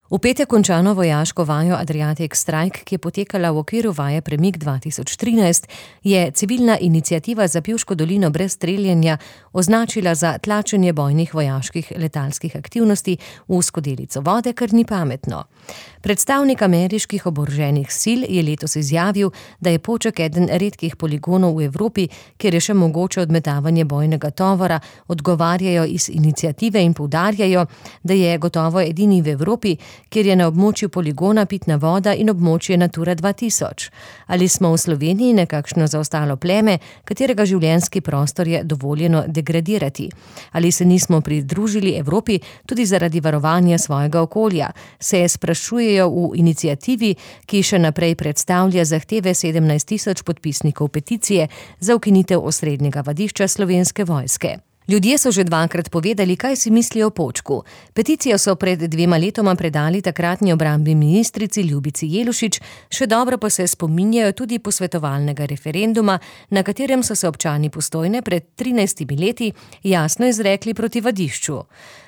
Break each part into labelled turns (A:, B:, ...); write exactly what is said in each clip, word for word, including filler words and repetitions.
A: V petek končano vojaško vajo Adriatic Strike, ki je potekala v okviru vaje Premik dva tisoč trinajst, je civilna iniciativa za Pivško dolino brez streljanja označila za tlačenje bojnih vojaških letalskih aktivnosti v skodelico vode, kar ni pametno. Predstavnik ameriških oboroženih sil je letos izjavil, da je Poček eden redkih poligonov v Evropi, kjer je še mogoče odmetavanje bojnega tovora, odgovarjajo iz iniciative in poudarjajo, da je gotovo edini v Evropi, kjer je na območju poligona pitna voda in območje Natura dva tisoč. Ali smo v Sloveniji nekakšno zaostalo pleme, katerega življenjski prostor je dovoljeno degradirati? Ali se nismo pridružili Evropi tudi zaradi varovanja svojega okolja? Se sprašujejo v iniciativi, ki še naprej predstavlja zahteve sedemnajst tisoč podpisnikov peticije za ukinitev osrednjega vadišča Slovenske vojske. Ljudje so že dvakrat povedali, kaj si mislijo o Počku. Peticijo so pred dvema letoma predali takratni obrambni ministrici Ljubici Jelušič, še dobro pa se spominjajo tudi posvetovalnega referenduma, na katerem so se občani Postojne pred trinajstimi leti jasno izrekli proti vadišču.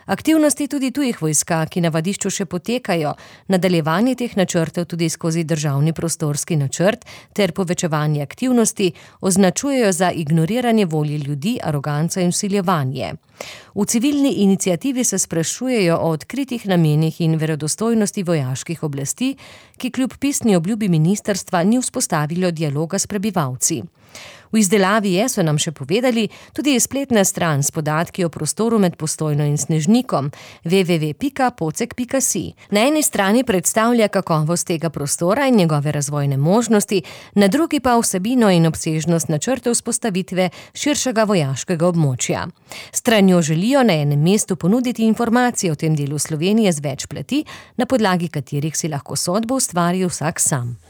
A: Aktivnosti tudi tujih vojska, ki na vadišču še potekajo, nadaljevanje teh načrtov tudi skozi državni prostorski načrt ter povečevanje aktivnosti označujejo za ignoriranje volje ljudi, aroganco in vsiljevanje. V civilni iniciativi se sprašujejo o odkritih namenih in verodostojnosti vojaških oblasti, ki kljub pisni obljubi ministrstva ni vzpostavilo dialoga s prebivalci. V izdelavi je, so nam še povedali, tudi spletna stran s podatki o prostoru med Postojno in Snežnikom w w w pika pocek pika si. Na eni strani predstavlja kakovost tega prostora in njegove razvojne možnosti, na drugi pa vsebino in obsežnost načrtov vzpostavitve širšega vojaškega območja. Stranjo želijo na enem mestu ponuditi informacije o tem delu Slovenije z več plati, na podlagi katerih si lahko sodbo ustvari vsak sam.